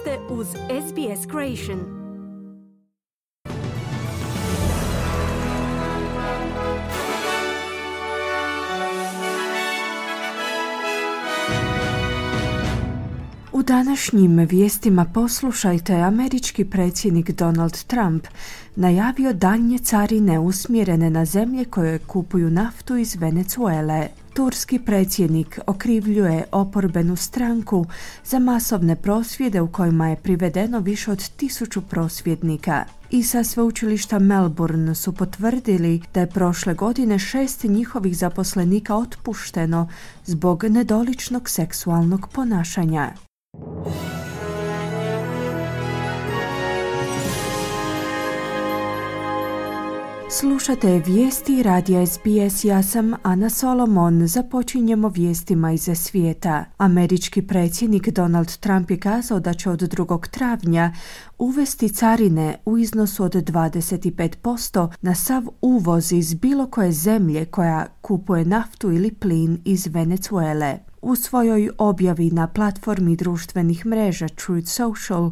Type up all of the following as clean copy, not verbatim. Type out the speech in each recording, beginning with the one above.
ste uz SBS Creation. U današnjim vijestima poslušajte, američki predsjednik Donald Trump najavio daljnje carine usmjerene na zemlje koje kupuju naftu iz Venezuele. Turski predsjednik okrivljuje oporbenu stranku za masovne prosvjede u kojima je privedeno više od 1000 prosvjednika. I sa sveučilišta Melbourne su potvrdili da je prošle godine 6 njihovih zaposlenika otpušteno zbog nedoličnog seksualnog ponašanja. Slušate vijesti radija SBS, ja sam Ana Solomon. Započinjemo vijestima iz svijeta. Američki predsjednik Donald Trump je kazao da će od 2. travnja uvesti carine u iznosu od 25% na sav uvoz iz bilo koje zemlje koja kupuje naftu ili plin iz Venezuele. U svojoj objavi na platformi društvenih mreža Truth Social,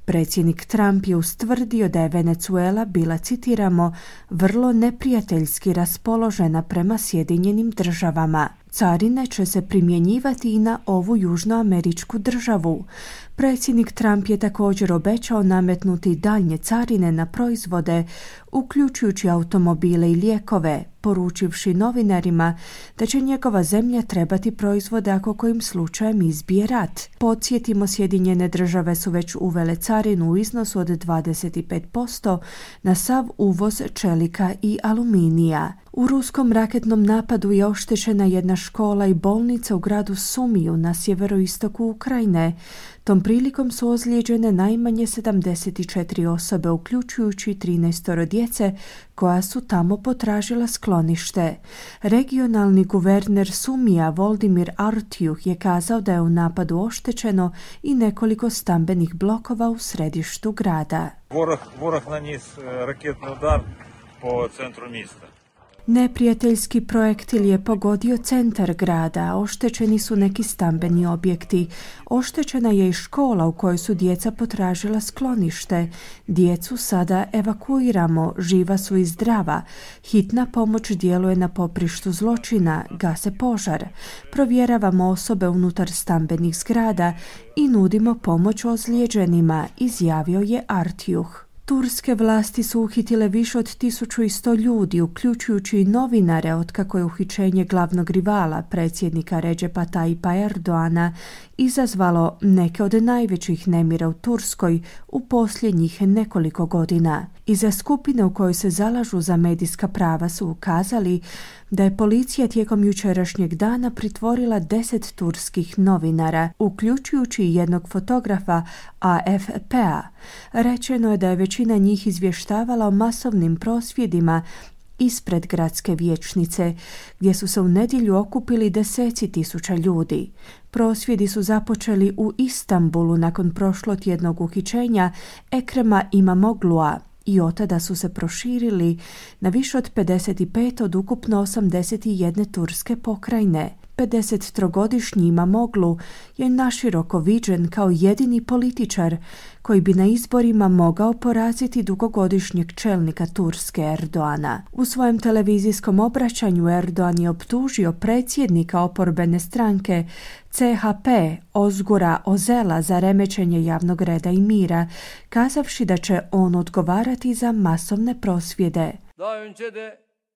predsjednik Trump je ustvrdio da je Venezuela bila, citiramo, vrlo neprijateljski raspoložena prema Sjedinjenim državama. Carine će se primjenjivati i na ovu južnoameričku državu. Predsjednik Trump je također obećao nametnuti daljnje carine na proizvode, uključujući automobile i lijekove, poručivši novinarima da će njegova zemlja trebati proizvode ako kojim slučajem izbije rat. Podsjetimo, Sjedinjene države su već uvele carinu u iznosu od 25% na sav uvoz čelika i aluminija. U ruskom raketnom napadu je oštećena jedna škola i bolnica u gradu Sumiju na sjeveroistoku Ukrajine. Tom prilikom su ozlijeđene najmanje 74 osobe, uključujući 13 djece koja su tamo potražila sklonište. Regionalni guverner Sumija Voldimir Artjuh je kazao da je u napadu oštećeno i nekoliko stambenih blokova u središtu grada. Ворог наніс ракетний удар по центру міста. Neprijateljski projektil je pogodio centar grada, oštećeni su neki stambeni objekti. Oštećena je i škola u kojoj su djeca potražila sklonište. Djecu sada evakuiramo, živa su i zdrava. Hitna pomoć djeluje na poprištu zločina, gase požar. Provjeravamo osobe unutar stambenih zgrada i nudimo pomoć ozlijeđenima, izjavio je Artjuh. Turske vlasti su uhitile više od 1100 ljudi, uključujući i novinare, otkako je uhićenje glavnog rivala, predsjednika Recepa Tayyipa Erdoana, izazvalo neke od najvećih nemira u Turskoj u posljednjih nekoliko godina. Iza skupine u kojoj se zalažu za medijska prava su ukazali da je policija tijekom jučerašnjeg dana pritvorila 10 turskih novinara, uključujući jednog fotografa AFP-a. Rečeno je da je većina njih izvještavala o masovnim prosvjedima ispred gradske vijećnice, gdje su se u nedjelju okupili deseci tisuća ljudi. Prosvjedi su započeli u Istanbulu nakon prošlotjednog uhićenja Ekrema Imamoglu'a i otada su se proširili na više od 55 od ukupno 81 turske pokrajine. 53-godišnji Imamoglu je naširoko viđen kao jedini političar koji bi na izborima mogao poraziti dugogodišnjeg čelnika Turske Erdoana. U svojem televizijskom obraćanju Erdoan je optužio predsjednika oporbene stranke CHP Ozgura Ozela za remećenje javnog reda i mira, kazavši da će on odgovarati za masovne prosvjede.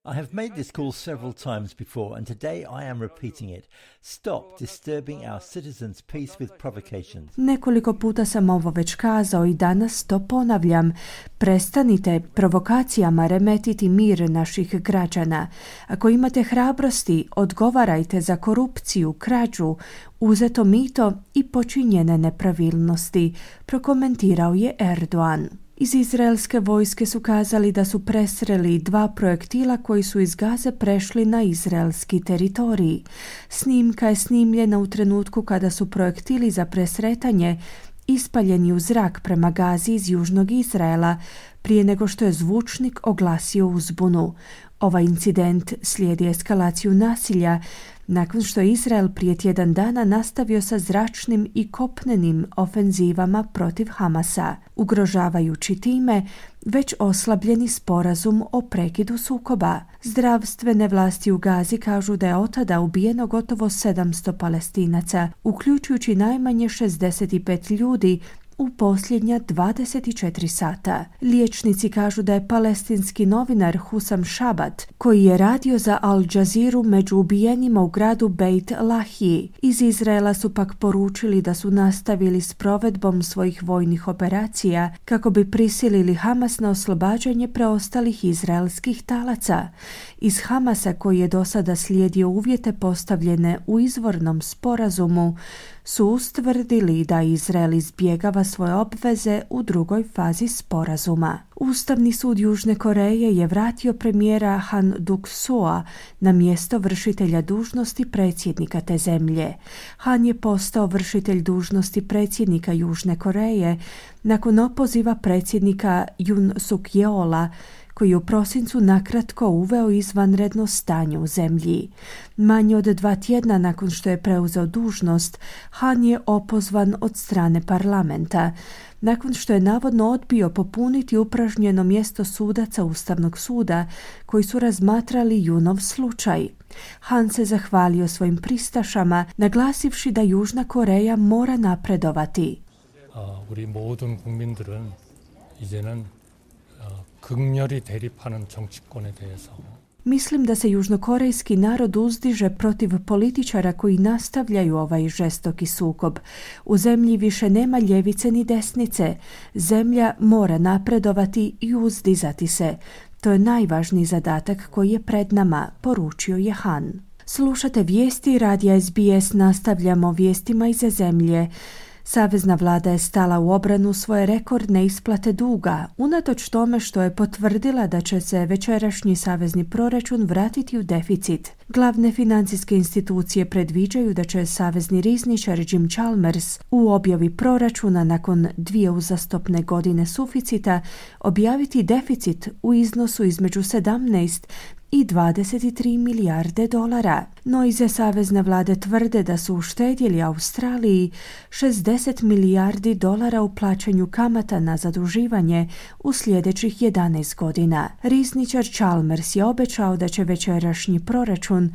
I have made this call several times before, and today I am repeating it. Stop disturbing our citizens' peace with provocations. Nekoliko puta sam ovo već kazao i danas to ponavljam. Prestanite provokacijama remetiti mir naših građana. Ako imate hrabrosti, odgovarajte za korupciju, krađu, uzeto mito i počinjene nepravilnosti, prokomentirao je Erdogan. Iz izraelske vojske su kazali da su presreli 2 projektila koji su iz Gaze prešli na izraelski teritorij. Snimka je snimljena u trenutku kada su projektili za presretanje ispaljeni u zrak prema Gazi iz južnog Izraela, prije nego što je zvučnik oglasio uzbunu. Ovaj incident slijedi eskalaciju nasilja nakon što je Izrael prije tjedan dana nastavio sa zračnim i kopnenim ofenzivama protiv Hamasa, ugrožavajući time već oslabljeni sporazum o prekidu sukoba. Zdravstvene vlasti u Gazi kažu da je od tada ubijeno gotovo 700 Palestinaca, uključujući najmanje 65 ljudi u posljednja 24 sata. Liječnici kažu da je palestinski novinar Husam Šabat, koji je radio za Al Jazeeru, među ubijenima u gradu Beit Lahiji. Iz Izraela su pak poručili da su nastavili s provedbom svojih vojnih operacija kako bi prisilili Hamas na oslobađanje preostalih izraelskih talaca. Iz Hamasa, koji je do sada slijedio uvjete postavljene u izvornom sporazumu, su ustvrdili da Izrael izbjegava svoje obveze u drugoj fazi sporazuma. Ustavni sud Južne Koreje je vratio premijera Han Duk-soa na mjesto vršitelja dužnosti predsjednika te zemlje. Han je postao vršitelj dužnosti predsjednika Južne Koreje nakon opoziva predsjednika Yoon Suk-yeola, koji je u prosincu nakratko uveo izvanredno stanje u zemlji. Manje od 2 tjedna nakon što je preuzeo dužnost, Han je opozvan od strane parlamenta, nakon što je navodno odbio popuniti upražnjeno mjesto sudaca Ustavnog suda koji su razmatrali Yoonov slučaj. Han se zahvalio svojim pristašama, naglasivši da Južna Koreja mora napredovati. 우리 모든 국민들은 이제는 극렬히 대립하는 정치권에 대해서 Mislim da se južnokorejski narod uzdiže protiv političara koji nastavljaju ovaj žestoki sukob. U zemlji više nema ljevice ni desnice. Zemlja mora napredovati i uzdizati se. To je najvažniji zadatak koji je pred nama, poručio je Han. Slušate vijesti radija SBS, nastavljamo vijestima iz zemlje. Savezna vlada je stala u obranu svoje rekordne isplate duga, unatoč tome što je potvrdila da će se večerašnji savezni proračun vratiti u deficit. Glavne financijske institucije predviđaju da će savezni rizničar Jim Chalmers u objavi proračuna nakon 2 uzastopne godine suficita objaviti deficit u iznosu između 17 i 23 milijarde dolara. No iza savezne vlade tvrde da su uštedjeli Australiji 60 milijardi dolara u plaćanju kamata na zaduživanje u sljedećih 11 godina. Rizničar Chalmers je obećao da će večerašnji proračun,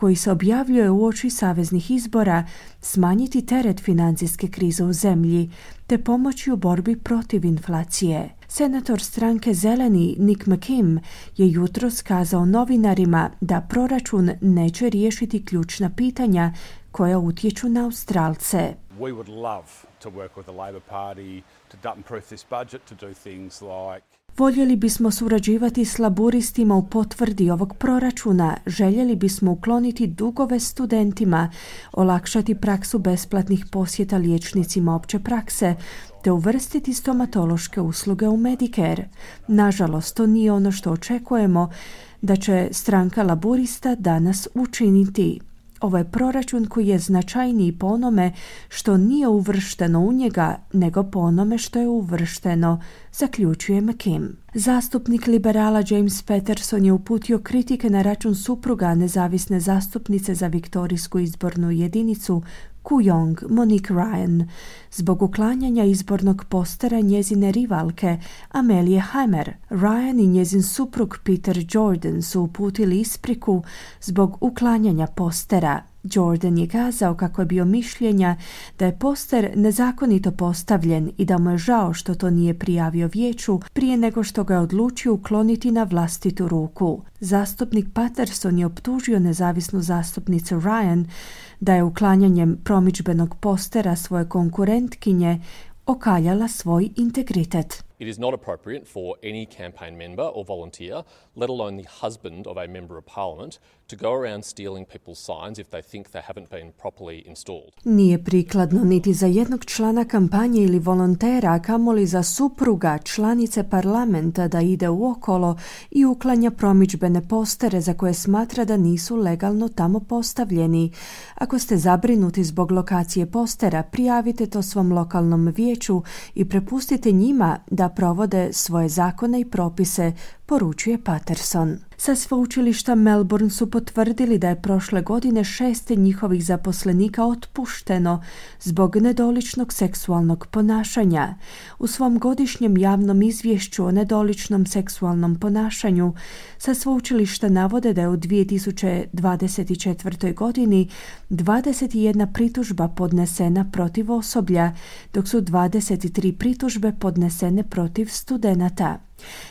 koji se objavljuje uoči saveznih izbora, smanjiti teret financijske krize u zemlji te pomoći u borbi protiv inflacije. Senator stranke Zeleni Nick McKim je jutros kazao novinarima da proračun neće riješiti ključna pitanja koja utječu na Australce. We would love to work with the Labor Party to dump-proof this budget, to do things like Voljeli bismo surađivati s laburistima u potvrdi ovog proračuna, željeli bismo ukloniti dugove studentima, olakšati praksu besplatnih posjeta liječnicima opće prakse, te uvrstiti stomatološke usluge u Medicare. Nažalost, to nije ono što očekujemo da će stranka laburista danas učiniti. Ovo je proračun koji je značajniji po onome što nije uvršteno u njega, nego po onome što je uvršteno, zaključuje McKim. Zastupnik liberala James Patterson je uputio kritike na račun supruga nezavisne zastupnice za viktorijsku izbornu jedinicu Kooyong, Monique Ryan, zbog uklanjanja izbornog postera njezine rivalke Amelie Hamer. Ryan i njezin suprug Peter Jordan su uputili ispriku zbog uklanjanja postera. Jordan je kazao kako je bio mišljenja da je poster nezakonito postavljen i da mu je žao što to nije prijavio vijeću prije nego što ga je odlučio ukloniti na vlastitu ruku. Zastupnik Patterson je optužio nezavisnu zastupnicu Ryan da je uklanjanjem promidžbenog postera svoje konkurentkinje okaljala svoj integritet. It is not appropriate for any campaign member or volunteer, let alone the husband of a member of parliament, to go around stealing people's signs if they think they haven't been properly installed. Nije prikladno niti za jednog člana kampanje ili volontera, a kamoli za supruga članice parlamenta da ide uokolo i uklanja promidžbene postere za koje smatra da nisu legalno tamo postavljeni. Ako ste zabrinuti zbog lokacije postera, prijavite to svom lokalnom vijeću i prepustite njima da provode svoje zakone i propise, poručuje Patterson. Sa sveučilišta Melbourne su potvrdili da je prošle godine 6 njihovih zaposlenika otpušteno zbog nedoličnog seksualnog ponašanja. U svom godišnjem javnom izvješću o nedoličnom seksualnom ponašanju sa sveučilišta navode da je u 2024. godini 21 pritužba podnesena protiv osoblja, dok su 23 pritužbe podnesene protiv studenata.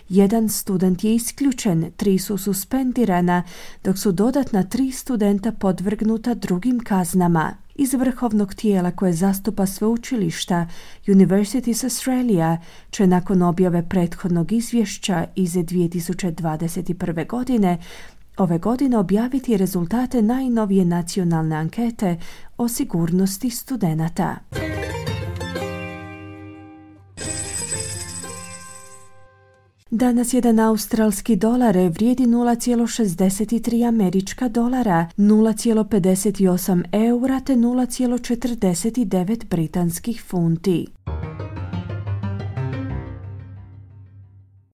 Jedan student je isključen, 3 su suspendirana, dok su dodatna 3 studenta podvrgnuta drugim kaznama. Iz vrhovnog tijela koje zastupa sveučilišta, Universities Australia će nakon objave prethodnog izvješća iz 2021. godine ove godine objaviti rezultate najnovije nacionalne ankete o sigurnosti studenata. Danas jedan australski dolar vrijedi 0,63 američka dolara, 0,58 eura te 0,49 britanskih funti.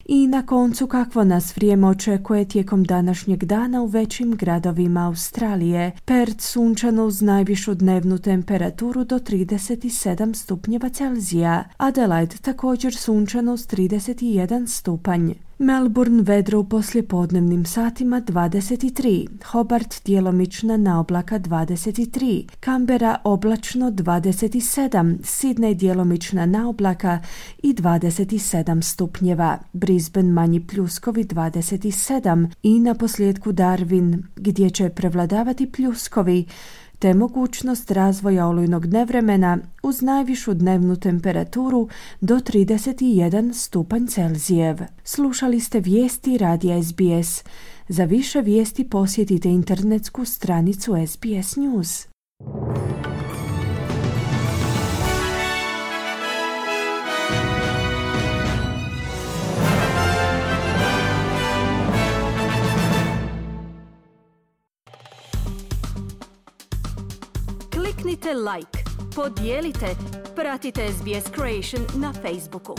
I na koncu, kakvo nas vrijeme očekuje tijekom današnjeg dana u većim gradovima Australije. Perth sunčano uz najvišu dnevnu temperaturu do 37 stupnjeva Celzija. Adelaide također sunčano uz 31 stupanj. Melbourne vedro u poslijepodnevnim satima 23, Hobart djelomična naoblaka 23, Canberra oblačno 27, Sydney djelomična naoblaka i 27 stupnjeva, Brisbane manji pljuskovi 27 i na posljedku Darwin gdje će prevladavati pljuskovi te mogućnost razvoja olujnog nevremena uz najvišu dnevnu temperaturu do 31 stupanj Celzijev. Slušali ste vijesti radija SBS. Za više vijesti posjetite internetsku stranicu SBS News. Kliknite like, podijelite, pratite SBS Creation na Facebooku.